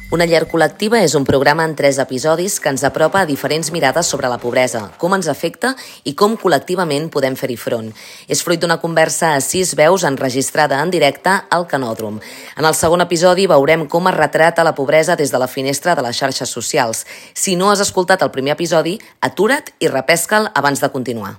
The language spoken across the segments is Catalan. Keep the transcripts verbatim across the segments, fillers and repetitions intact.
Una llar col·lectiva és un programa en tres episodis que ens apropa a diferents mirades sobre la pobresa, com ens afecta i com col·lectivament podem fer-hi front. És fruit d'una conversa a sis veus enregistrada en directe al Canòdrom. En el segon episodi veurem com es retrata la pobresa des de la finestra de les xarxes socials. Si no has escoltat el primer episodi, atura't i repesca'l abans de continuar.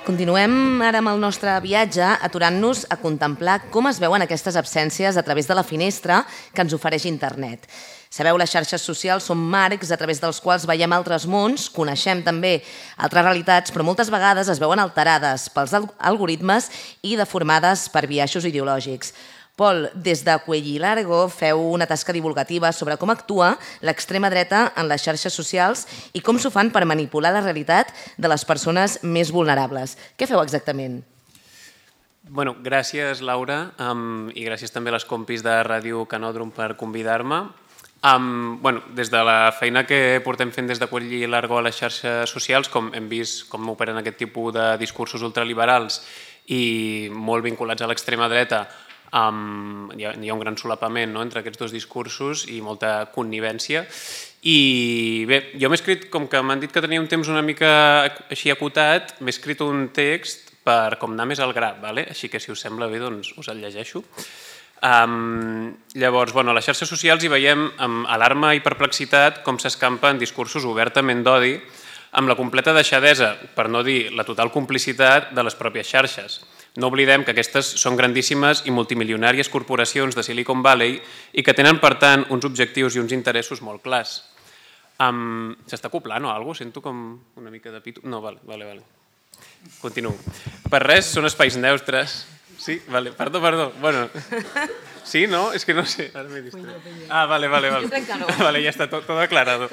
Continuem ara amb el nostre viatge aturant-nos a contemplar com es veuen aquestes absències a través de la finestra que ens ofereix internet. Sabeu, les xarxes socials són marcs a través dels quals veiem altres mons, coneixem també altres realitats, però moltes vegades es veuen alterades pels algoritmes i deformades per biaixos ideològics. Pol, des de Cuello y Largo feu una tasca divulgativa sobre com actua l'extrema dreta en les xarxes socials i com s'ho fan per manipular la realitat de les persones més vulnerables. Què feu exactament? Bueno, gràcies, Laura, um, i gràcies també a les compis de Ràdio Canòdrom per convidar-me. Um, bueno, des de la feina que portem fent des de Cuello y Largo a les xarxes socials, com hem vist com operen aquest tipus de discursos ultraliberals i molt vinculats a l'extrema dreta, Um, hi, ha, hi ha un gran solapament, no?, entre aquests dos discursos i molta connivència. I bé, jo m'he escrit, com que m'han dit que tenia un temps una mica així acotat, m'he escrit un text per com anar més al gra, vale? Així que si us sembla bé, doncs us el llegeixo. Um, llavors, bueno, a les xarxes socials hi veiem amb alarma i perplexitat com s'escampen discursos obertament d'odi amb la completa deixadesa, per no dir la total complicitat de les pròpies xarxes. No oblidem que aquestes són grandíssimes i multimilionàries corporacions de Silicon Valley i que tenen, per tant, uns objectius i uns interessos molt clars. Um, S'està acoplant o alguna cosa? Sento com una mica de pito. No, vale, vale, vale. Continuo. Per res, són espais neutres. Sí? Vale, perdó, perdó. Bueno, sí, no? És que no sé. Ara m'he distret. Ah, vale, vale, vale. Jo crec que no. Vale, ja està tot, tot aclarado.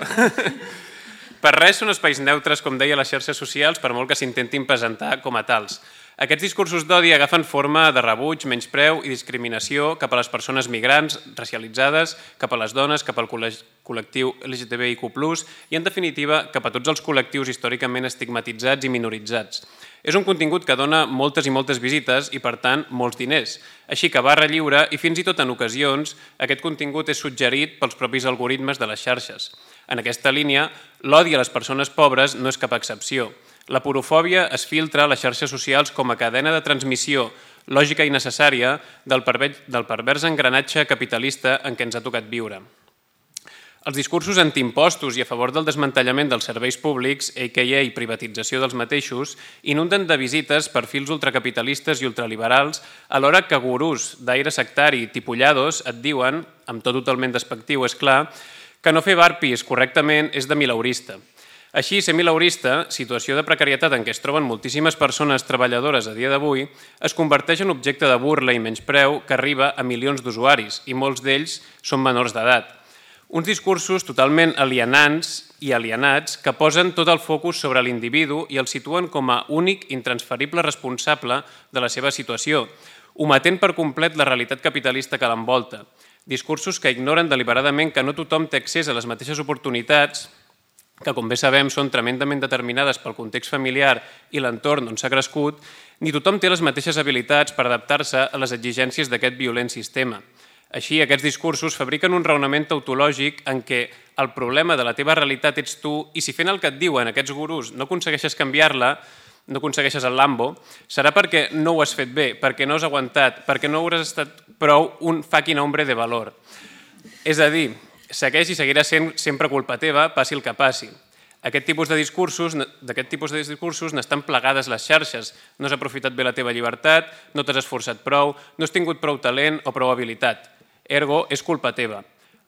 Per res són espais neutres, com deia, les xarxes socials, per molt que s'intentin presentar com a tals. Aquests discursos d'odi agafen forma de rebuig, menyspreu i discriminació cap a les persones migrants, racialitzades, cap a les dones, cap al col·lectiu L G T B I Q plus, i, en definitiva, cap a tots els col·lectius històricament estigmatitzats i minoritzats. És un contingut que dona moltes i moltes visites i, per tant, molts diners. Així que barra lliure i, fins i tot en ocasions, aquest contingut és suggerit pels propis algoritmes de les xarxes. En aquesta línia, l'odi a les persones pobres no és cap excepció. La porofòbia es filtra a les xarxes socials com a cadena de transmissió lògica i necessària del pervers engranatge capitalista en què ens ha tocat viure. Els discursos antiimpostos i a favor del desmantellament dels serveis públics, a ca a privatització dels mateixos, inunden de visites perfils ultracapitalistes i ultraliberals, alhora que gurús d'aire sectari tipollados et diuen, amb tot totalment despectiu, és clar, que no fer barpis correctament és de mileurista. Així, ser mileurista, situació de precarietat en què es troben moltíssimes persones treballadores a dia d'avui, es converteix en objecte de burla i menyspreu que arriba a milions d'usuaris, i molts d'ells són menors d'edat. Uns discursos totalment alienants i alienats que posen tot el focus sobre l'individu i el situen com a únic intransferible responsable de la seva situació, ometent per complet la realitat capitalista que l'envolta. Discursos que ignoren deliberadament que no tothom té accés a les mateixes oportunitats, que com bé sabem són tremendament determinades pel context familiar i l'entorn on s'ha crescut, ni tothom té les mateixes habilitats per adaptar-se a les exigències d'aquest violent sistema. Així, aquests discursos fabriquen un raonament tautològic en què el problema de la teva realitat ets tu i si fent el que et diuen aquests gurús no aconsegueixes canviar-la, no aconsegueixes el Lambo, serà perquè no ho has fet bé, perquè no has aguantat, perquè no hauràs estat prou un fucking hombre de valor. És a dir, segueix i seguirà sent sempre culpa teva, passi el que passi. Aquest tipus de discursos, d'aquest tipus de discursos n'estan plegades les xarxes. No has aprofitat bé la teva llibertat, no t'has esforçat prou, no has tingut prou talent o prou habilitat. Ergo, és culpa teva.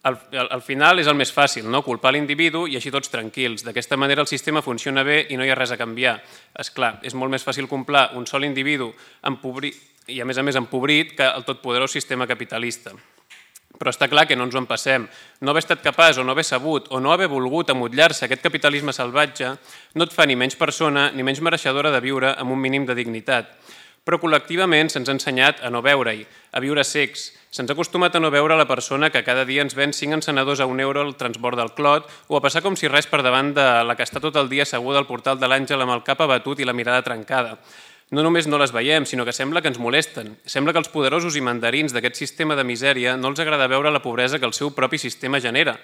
Al, al final és el més fàcil, no? Culpar l'individu i així tots tranquils. D'aquesta manera el sistema funciona bé i no hi ha res a canviar. És clar, és molt més fàcil comprar un sol individu empobrit, i a més a més empobrit que el totpoderós sistema capitalista. Però està clar que no ens ho empassem. No haver estat capaç o no haver sabut o no haver volgut amotlar-se aquest capitalisme salvatge no et fa ni menys persona ni menys mereixedora de viure amb un mínim de dignitat. Però col·lectivament se'ns ha ensenyat a no veure-hi, a viure cecs. Se'ns ha acostumat a no veure la persona que cada dia ens ven cinc encenedors a un euro al transbord del Clot o a passar com si res per davant de la que està tot el dia asseguda al portal de l'Àngel amb el cap abatut i la mirada trencada. No només no les veiem, sinó que sembla que ens molesten. Sembla que els poderosos i mandarins d'aquest sistema de misèria no els agrada veure la pobresa que el seu propi sistema genera.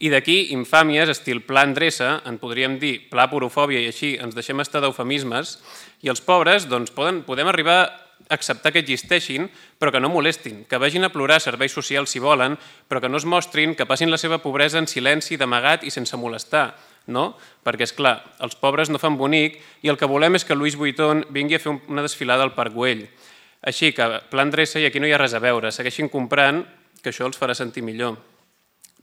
I d'aquí infàmies, estil pla endreça, en podríem dir pla porofòbia i així ens deixem estar d'eufemismes, i els pobres doncs, poden, podem arribar a acceptar que existeixin, però que no molestin, que vagin a plorar serveis socials si volen, però que no es mostrin, que passin la seva pobresa en silenci, d'amagat i sense molestar. No? Perquè, és clar, els pobres no fan bonic i el que volem és que Louis Vuitton vingui a fer una desfilada al Parc Güell. Així que, pla endreça i aquí no hi ha res a veure, segueixin comprant, que això els farà sentir millor.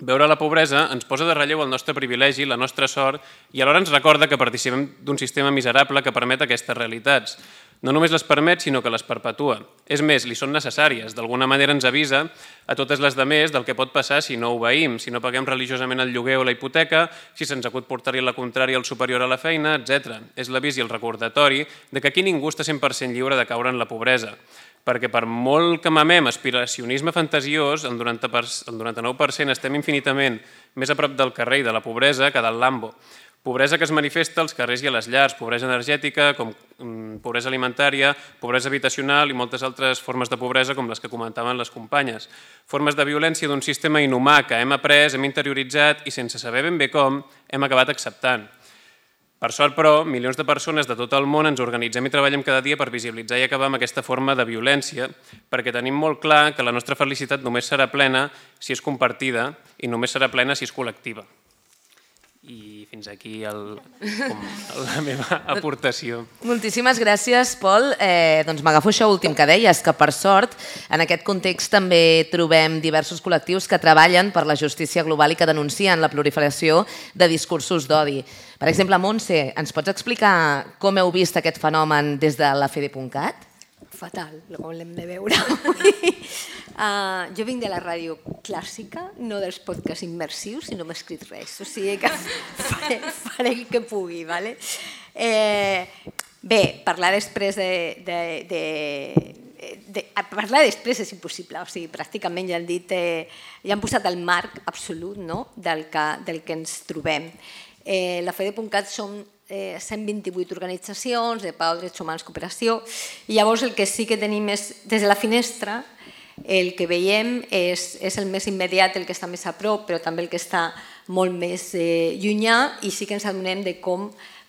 Veure la pobresa ens posa de relleu el nostre privilegi, la nostra sort, i alhora ens recorda que participem d'un sistema miserable que permet aquestes realitats. No només les permet, sinó que les perpetua. És més, li són necessàries. D'alguna manera ens avisa a totes les demés del que pot passar si no obeïm, si no paguem religiosament el lloguer o la hipoteca, si se'ns acut portar-hi la contrària al superior a la feina, etcètera. És l'avís i el recordatori de que aquí ningú està cent per cent lliure de caure en la pobresa. Perquè per molt que mamem aspiracionisme fantasiós, el noranta-nou per cent estem infinitament més a prop del carrer i de la pobresa que del Lambo. Pobresa que es manifesta als carrers i a les llars, pobresa energètica, com pobresa alimentària, pobresa habitacional i moltes altres formes de pobresa com les que comentaven les companyes. Formes de violència d'un sistema inhumà que hem après, hem interioritzat i sense saber ben bé com hem acabat acceptant. Per sort, però, milions de persones de tot el món ens organitzem i treballem cada dia per visibilitzar i acabar amb aquesta forma de violència, perquè tenim molt clar que la nostra felicitat només serà plena si és compartida i només serà plena si és col·lectiva. I fins aquí el, com, la meva aportació. Moltíssimes gràcies, Pol. Eh, doncs m'agafo això últim que deies, que per sort en aquest context també trobem diversos col·lectius que treballen per la justícia global i que denuncien la proliferació de discursos d'odi. Per exemple, Montse, ens pots explicar com heu vist aquest fenomen des de la F E D E punt cat? Fatal, com l'hem de veure. Uh, jo vinc de la ràdio clàssica, no dels podcasts immersius, i no m'he escrit res, o sigui que faré, faré el que pugui. Vale? Eh, bé, parlar després de... de, de De, parlar després és impossible, o sigui, pràcticament ja han dit, eh, ja han posat el marc absolut, no?, del, que, del que ens trobem. Eh, la F E D E punt cat són eh, cent vint-i-vuit organitzacions de pau, drets humans, cooperació, i llavors el que sí que tenim és, des de la finestra, el que veiem és, és el més immediat, el que està més a prop, però també el que està molt més eh, llunyà, i sí que ens adonem de com,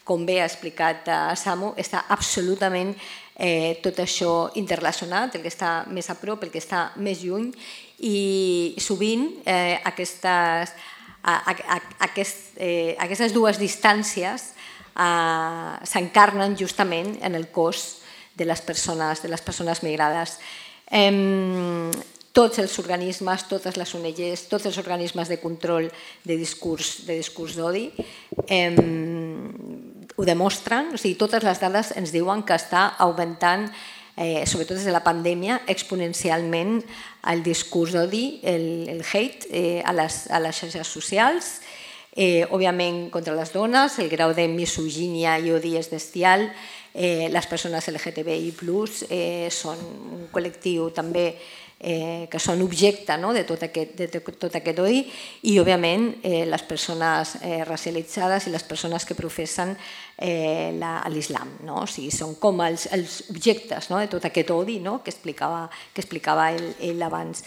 com bé ha explicat a Samu, està absolutament Eh, tot això interrelacionat, el que està més a prop, el que està més lluny, i sovint eh, aquestes, a, a, a, aquest, eh, aquestes dues distàncies eh, s'encarnen justament en el cos de les persones, de les persones migrades. Eh, tots els organismes, totes les O N Ges, tots els organismes de control de discurs de discurs d'odi eh, ho demostren, o sigui, totes les dades ens diuen que està augmentant eh, sobretot des de la pandèmia, exponencialment el discurs d'odi, el, el hate eh, a, les, a les xarxes socials, eh, òbviament contra les dones, el grau de misogínia i odi és bestial, eh, les persones L G T B I plus, eh, són un col·lectiu també eh, que són objecte no? de, tot aquest, de tot aquest odi i, òbviament, eh, les persones eh, racialitzades i les persones que professen eh, l'islam. No? O sigui, són com els, els objectes no? de tot aquest odi no? que explicava, que explicava ell, ell abans.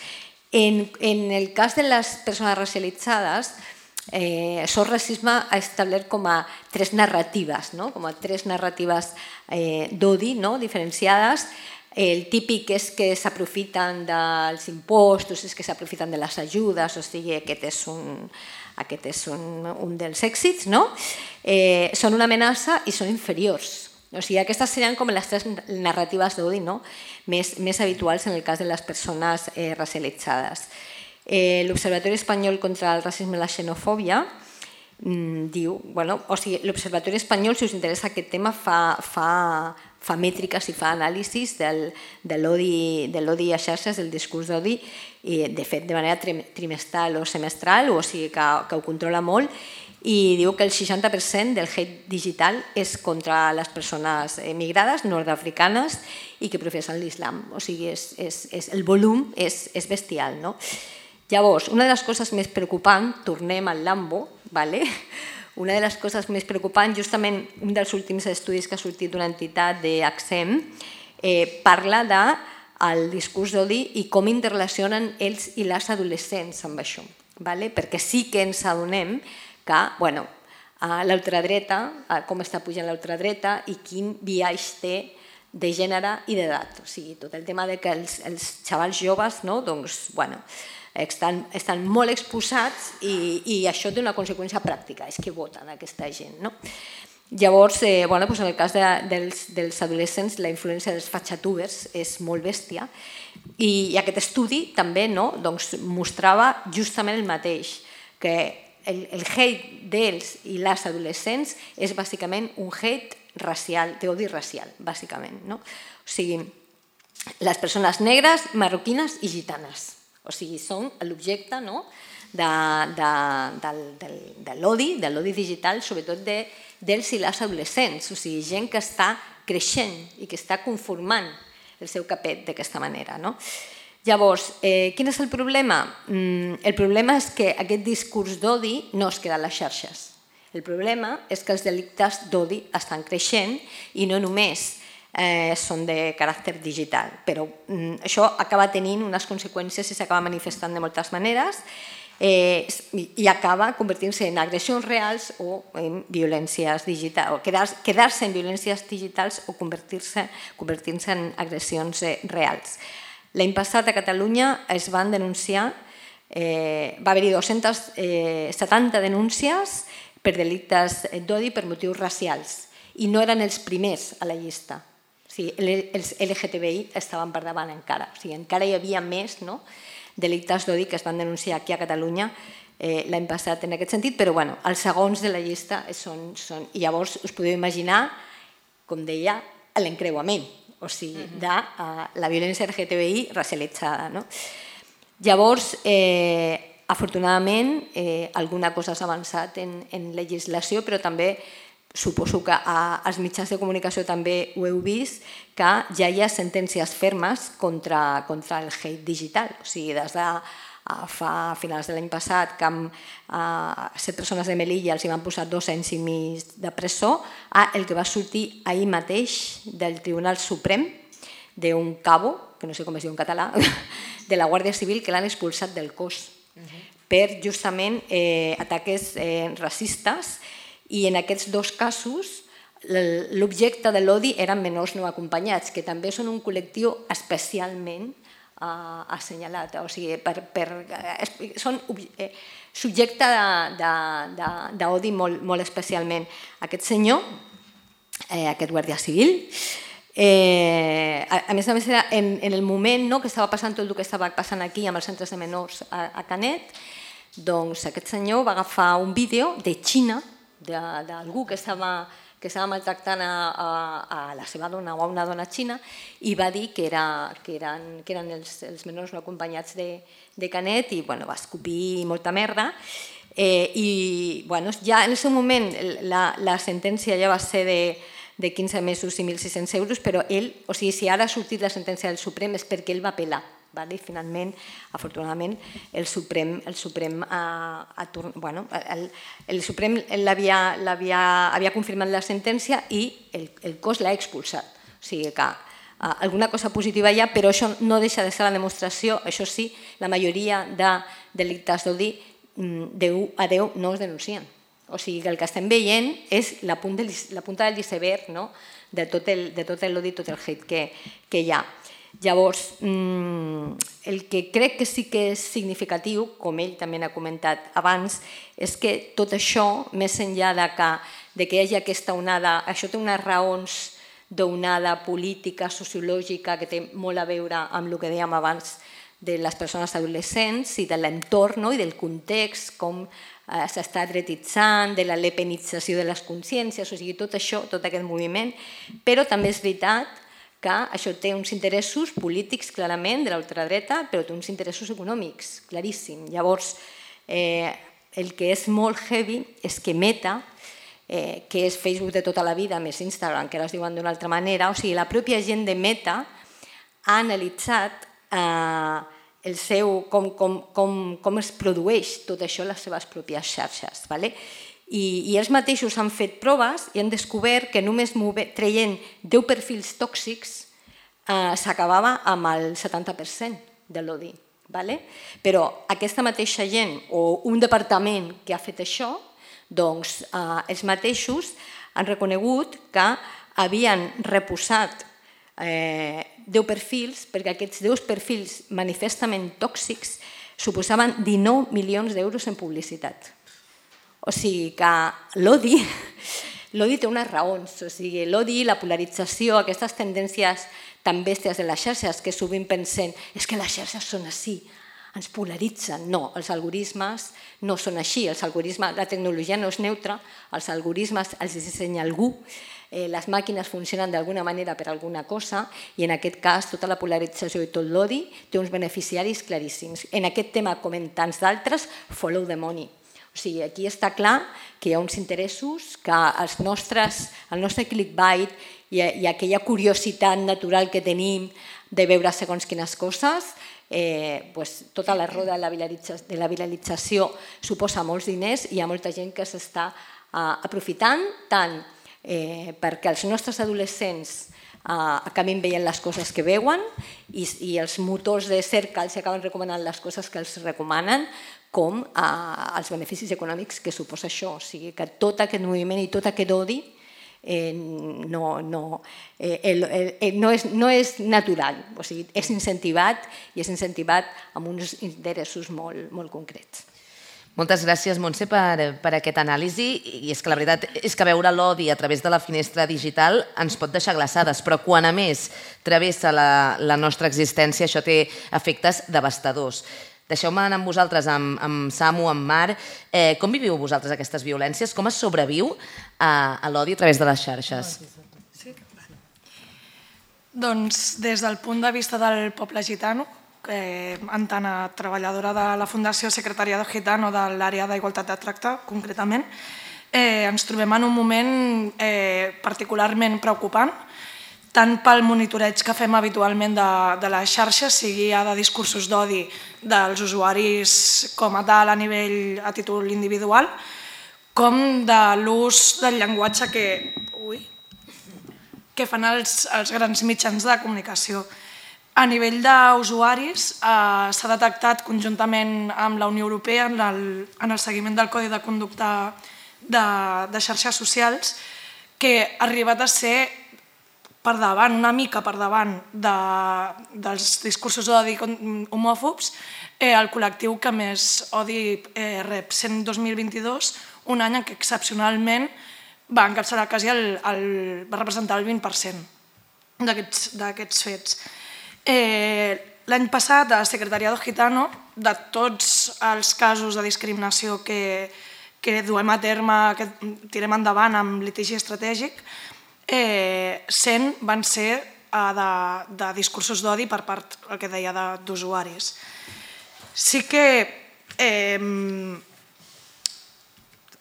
En, en el cas de les persones racialitzades, Eh, això el racisme ha establert com a tres narratives, no? com a tres narratives eh, d'odi no? diferenciades. El típic és que s'aprofiten dels impostos, és que s'aprofiten de les ajudes, o sigui, aquest és un, aquest és un, un dels èxits, no? Eh, són una amenaça i són inferiors. O sigui, aquestes serien com les tres narratives d'odi no? més, més habituals en el cas de les persones eh, racialitzades. Eh, L'Observatori Espanyol contra el Racisme i la Xenofòbia mm, diu, bueno, o sigui, l'Observatori Espanyol, si us interessa aquest tema, fa, fa, fa mètriques i fa anàlisis del, de l'odi a xarxes, del discurs d'odi, i de fet de manera trimestral o semestral, o sigui que, que ho controla molt, i diu que el seixanta per cent del hate digital és contra les persones migrades, nord-africanes, i que professen l'islam. O sigui, és, és, és, el volum és, és bestial, no? Llavors, una de les coses més preocupants, tornem al Lambo, ¿vale? Una de les coses més preocupants, justament un dels últims estudis que ha sortit d'una entitat d'Accem, eh, parla del discurs d'odi i com interrelacionen ells i les adolescents amb això, ¿vale? Perquè sí que ens adonem que, bueno, l'ultradreta, com està pujant l'ultradreta i quin biaix té de gènere i d'edat. O sigui, tot el tema de que els, els xavals joves, no, doncs, bueno, estan, estan molt exposats i, i això té una conseqüència pràctica, és que voten aquesta gent, no? Llavors, eh, bueno, doncs en el cas de, dels, dels adolescents, la influència dels fatxatubers és molt bèstia i, i aquest estudi també no, doncs, mostrava justament el mateix, que el, el hate dels i les adolescents és bàsicament un hate racial, d'odi racial, bàsicament. No? O sigui, les persones negres, marroquines i gitanes. O sigui, són l'objecte no? de, de, de, de, de l'odi, de l'odi digital, sobretot de, dels i les adolescents. O sigui, gent que està creixent i que està conformant el seu capet d'aquesta manera. No? Llavors, eh, quin és el problema? Mm, el problema és que aquest discurs d'odi no es queda a les xarxes. El problema és que els delictes d'odi estan creixent i no només eh, són de caràcter digital, però mm, això acaba tenint unes conseqüències i s'acaba manifestant de moltes maneres eh, i acaba convertint-se en agressions reals o en violències digitals, o quedar-se quedar en violències digitals o convertir-se convertir en agressions eh, reals. L'any passat a Catalunya es van denunciar, eh, va haver-hi dues-centes setanta denúncies per delictes d'odi per motius racials i no eren els primers a la llista. O sigui, els L G T B I estaven per davant encara. O sigui, encara hi havia més no, delictes d'odi que es van denunciar aquí a Catalunya eh, l'any passat en aquest sentit, però bueno, els segons de la llista són... són I llavors us podeu imaginar, com deia, l'encreuament, o sigui, de uh, la violència L G T B I racialitzada. No? Llavors, eh, afortunadament, eh, alguna cosa s'ha avançat en, en legislació, però també suposo que als mitjans de comunicació també ho heu vist, que ja hi ha sentències fermes contra, contra el hate digital. O sigui, des de fa finals de l'any passat que amb uh, set persones de Melilla els hi van posar dos anys i mig de presó, a el que va sortir ahir mateix del Tribunal Suprem d'un cabo, que no sé com es diu en català, de la Guàrdia Civil, que l'han expulsat del cos per justament eh, ataques eh, racistes. I en aquests dos casos l'objecte de l'odi eren menors no acompanyats, que també són un col·lectiu especialment uh, assenyalat. O sigui, per, per, eh, són eh, subjecte d'odi molt, molt especialment. Aquest senyor, eh, aquest guàrdia civil, eh, a, a més a més era en, en el moment no, que estava passant tot el que estava passant aquí amb els centres de menors a, a Canet, doncs aquest senyor va agafar un vídeo de Xina, d'algú que estava que estava maltractant a, a, a la seva dona o a una dona xina i va dir que, era, que eren, que eren els, els menors no acompanyats de, de Canet i bueno, va escopir molta merda. Eh, I bueno, ja en el seu moment la, la sentència ja va ser de, de quinze mesos i mil sis-cents euros, però ell, o sigui, si ara ha sortit la sentència del Suprem és perquè ell va apel·lar. Vale? Finalment, afortunadament, el Suprem, el Suprem, ha, ha, bueno, el, el Suprem havia, havia confirmat la sentència i el, el cos l'ha expulsat. O sigui que uh, alguna cosa positiva hi ha, però això no deixa de ser la demostració, això sí, la majoria de delictes d'odi de u a deu no es denuncien. O sigui que el que estem veient és la punta, la punta del iceberg, no? de tot l'odi, tot el hate que, que hi ha. Llavors, el que crec que sí que és significatiu, com ell també ha comentat abans, és que tot això, més enllà de que, de que hi hagi aquesta onada, això té unes raons d'onada política, sociològica, que té molt a veure amb el que dèiem abans de les persones adolescents i de l'entorn i del context, com s'està dretitzant, de la lepenització de les consciències, o sigui, tot això, tot aquest moviment, però també és veritat que això té uns interessos polítics, clarament, de l'ultradreta, però té uns interessos econòmics, claríssim. Llavors, el que és molt heavy és que Meta, que és Facebook de tota la vida, més Instagram, que ara es diuen d'una altra manera, o sigui, la pròpia gent de Meta ha analitzat el seu, com es produeix tot això a les seves pròpies xarxes. I ells mateixos han fet proves i han descobert que només traient deu perfils tòxics s'acabava amb el setanta per cent de l'odi. Però aquesta mateixa gent o un departament que ha fet això, doncs ells mateixos han reconegut que havien reposat deu perfils perquè aquests deu perfils manifestament tòxics suposaven dinou milions d'euros en publicitat. O sigui que l'odi, l'odi té unes raons, o sigui, l'odi, la polarització, aquestes tendències tan bèsties de les xarxes que sovint pensem és que les xarxes són així, ens polaritzen. No, els algoritmes no són així, els algoritmes, la tecnologia no és neutra, els algoritmes els dissenya algú, les màquines funcionen d'alguna manera per alguna cosa i en aquest cas tota la polarització i tot l'odi té uns beneficiaris claríssims. En aquest tema, com en tants d'altres, follow the money. O sigui, aquí està clar que hi ha uns interessos que els nostres, el nostre clickbait i aquella curiositat natural que tenim de veure segons quines coses, tota la roda de la viralització suposa molts diners i hi ha molta gent que s'està aprofitant tant perquè els nostres adolescents acabin veient les coses que veuen i els motors de cerca els acaben recomanant les coses que els recomanen, com els beneficis econòmics que suposa això. O sigui que tot aquest moviment i tot aquest odi no és natural, o sigui, és incentivat i és incentivat amb uns interessos molt concrets. Moltes gràcies, Montse, per aquest anàlisi. I és que la veritat és que veure l'odi a través de la finestra digital ens pot deixar glaçades, però quan a més travessa la nostra existència això té efectes devastadors. Deixeu-me anar amb vosaltres, amb Samu, amb Mar. Com viviu vosaltres aquestes violències? Com es sobreviu a l'odi a través de les xarxes? Doncs des del punt de vista del poble gitano, en tant a treballadora de la Fundació Secretariado Gitano de l'àrea d'Igualtat de Tracte, concretament, ens trobem en un moment particularment preocupant, tant pel monitoreig que fem habitualment de les xarxes, sigui ja de discursos d'odi dels usuaris com a tal a nivell a títol individual, com de l'ús del llenguatge que fan els grans mitjans de comunicació. A nivell d'usuaris s'ha detectat conjuntament amb la Unió Europea en el seguiment del Codi de Conducta de xarxes socials que ha arribat a ser per davant, una mica per davant dels discursos d'odi homòfobs, el col·lectiu que més odi rep, sent dos mil vint-i-dos un any en què excepcionalment va encapçalar quasi va representar el vint per cent d'aquests fets. L'any passat, a Secretariado Gitano, de tots els casos de discriminació que que duem a terme, que tirem endavant amb litigi estratègic, eh, cent van ser eh, de, de discursos d'odi per part, el que deia, d'usuaris. Sí que eh,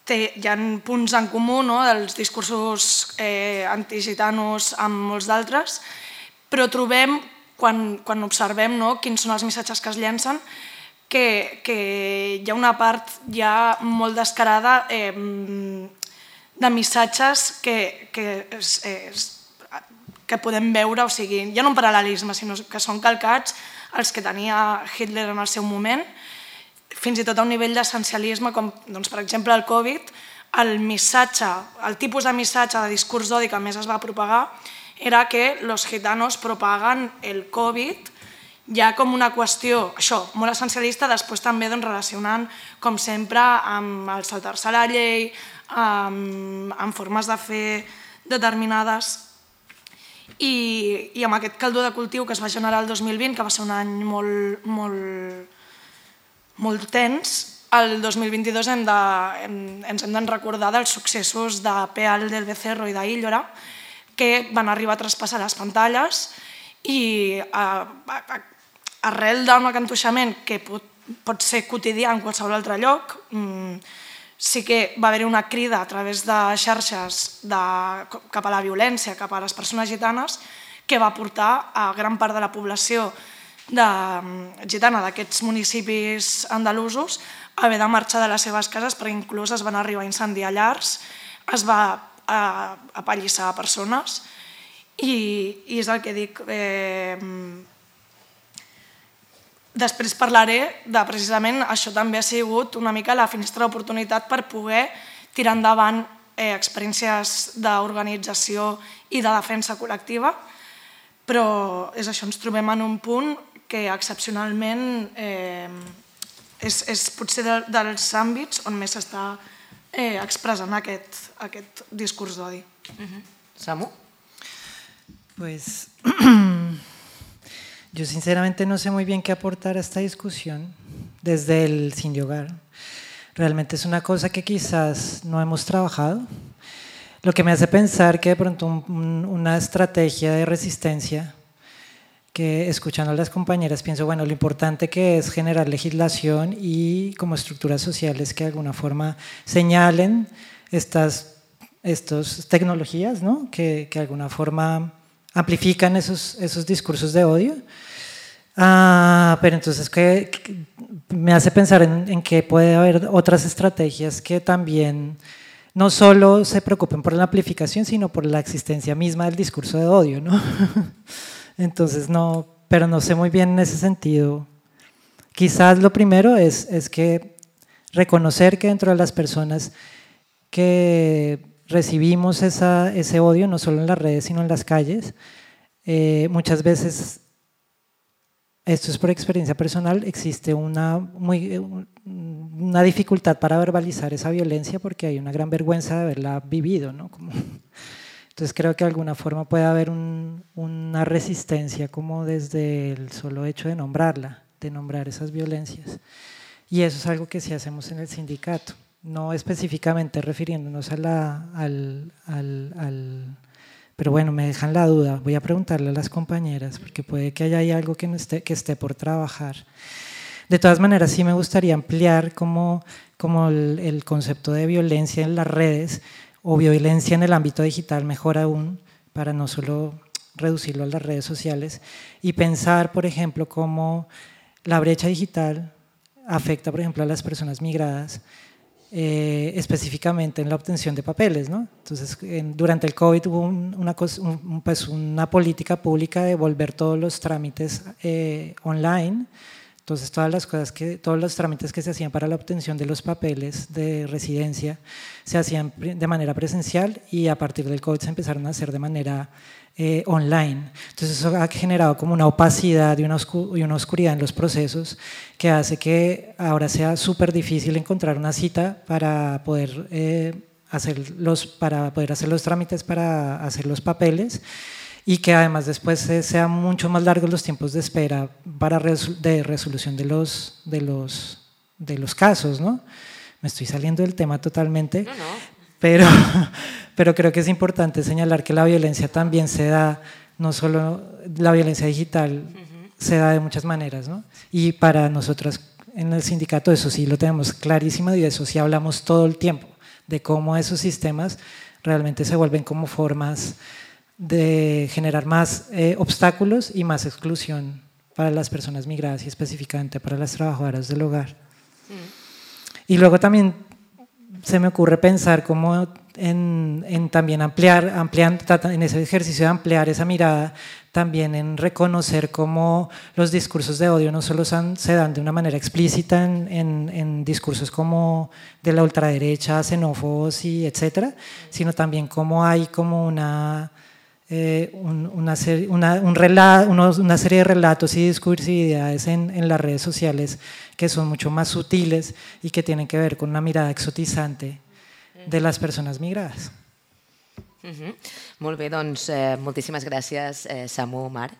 té, hi ha punts en comú, no?, dels discursos eh, antigitanos amb molts d'altres, però trobem, quan, quan observem, no?, quins són els missatges que es llencen, que, que hi ha una part ja molt descarada eh, de missatges que, que, és, és, que podem veure, o sigui, hi ha un paral·lelisme, sinó que són calcats els que tenia Hitler en el seu moment, fins i tot a un nivell d'essencialisme, com doncs, per exemple el Covid, el missatge, el tipus de missatge de discurs d'odi que més es va propagar era que los gitanos propaguen el Covid ja com una qüestió, això, molt essencialista, després també doncs, relacionant, com sempre, amb el saltar-se la llei, amb, amb formes de fer determinades. I, i amb aquest caldor de cultiu que es va generar el dos mil vint, que va ser un any molt, molt, molt tens, el dos mil vint-i-dos hem de, hem, ens hem de recordar dels successos de Peal del Becerro i d'Illora, que van arribar a traspassar les pantalles i a, a, arrel d'un acantuixament que pot, pot ser quotidià en qualsevol altre lloc, sí que va haver una crida a través de xarxes de, cap a la violència, cap a les persones gitanes, que va portar a gran part de la població de, gitana d'aquests municipis andalusos a haver de marxar de les seves cases perquè inclús es van arribar a incendiar llars, es va a, a apallissar persones i, i és el que dic. Eh, Després parlaré de, precisament, això també ha sigut una mica la finestra d'oportunitat per poder tirar endavant eh, experiències d'organització i de defensa col·lectiva, però és això, ens trobem en un punt que excepcionalment eh, és, és potser de, dels àmbits on més s'està eh, expressant aquest, aquest discurs d'odi. Uh-huh. Samu? Pues... Yo sinceramente no sé muy bien qué aportar a esta discusión desde el Sin Hogar. Realmente es una cosa que quizás no hemos trabajado, lo que me hace pensar que de pronto un, un, una estrategia de resistencia, que escuchando a las compañeras pienso, bueno, lo importante que es generar legislación y como estructuras sociales que de alguna forma señalen estas, estas tecnologías, ¿no?, que, que de alguna forma amplifican esos, esos discursos de odio. Ah, pero entonces que, que me hace pensar en, en que puede haber otras estrategias que también no solo se preocupen por la amplificación, sino por la existencia misma del discurso de odio, ¿no? Entonces no, pero no sé muy bien en ese sentido. Quizás lo primero es, es que reconocer que dentro de las personas que recibimos esa, ese odio, no solo en las redes, sino en las calles, eh, muchas veces, esto es por experiencia personal, existe una, muy, una dificultad para verbalizar esa violencia porque hay una gran vergüenza de haberla vivido, ¿no? Como, entonces creo que de alguna forma puede haber un, una resistencia como desde el solo hecho de nombrarla, de nombrar esas violencias. Y eso es algo que sí hacemos en el sindicato. No específicamente refiriéndonos a la, al, al, al... Pero bueno, me dejan la duda, voy a preguntarle a las compañeras, porque puede que haya ahí algo que, no esté, que esté por trabajar. De todas maneras, sí me gustaría ampliar como, como el, el concepto de violencia en las redes, o violencia en el ámbito digital, mejor aún, para no solo reducirlo a las redes sociales, y pensar, por ejemplo, cómo la brecha digital afecta, por ejemplo, a las personas migradas, Eh, específicamente en la obtención de papeles, ¿no? Entonces, en, durante el COVID hubo un, una, un, pues una política pública de volver todos los trámites eh, online. Entonces, todas las cosas que, todos los trámites que se hacían para la obtención de los papeles de residencia se hacían de manera presencial y a partir del COVID se empezaron a hacer de manera eh, online. Entonces, eso ha generado como una opacidad y una, oscu y una oscuridad en los procesos que hace que ahora sea súper difícil encontrar una cita para poder, eh, hacer los, para poder hacer los trámites, para hacer los papeles, y que además después eh, sean mucho más largos los tiempos de espera para resol de resolución de los, de los, de los casos, ¿no? Me estoy saliendo del tema totalmente, No, no. Pero, pero creo que es importante señalar que la violencia también se da, no solo la violencia digital, uh-huh. se da de muchas maneras, ¿no? Y para nosotras en el sindicato eso sí lo tenemos clarísimo y de eso sí hablamos todo el tiempo, de cómo esos sistemas realmente se vuelven como formas de generar más eh, obstáculos y más exclusión para las personas migradas y específicamente para las trabajadoras del hogar. Uh-huh. Y luego también se me ocurre pensar cómo en, en también ampliar, ampliar, en ese ejercicio de ampliar esa mirada, también en reconocer cómo los discursos de odio no solo son, se dan de una manera explícita en, en, en discursos como de la ultraderecha, xenófobos y etcétera, sino también cómo hay como una, eh, un, una, serie, una, un relato, unos, una serie de relatos y discursividades en, en las redes sociales que son mucho más sutiles y que tienen que ver con una mirada exotizante de les persones migrades. Uh-huh. Molt bé, doncs eh, moltíssimes gràcies, eh, Samu, Marc.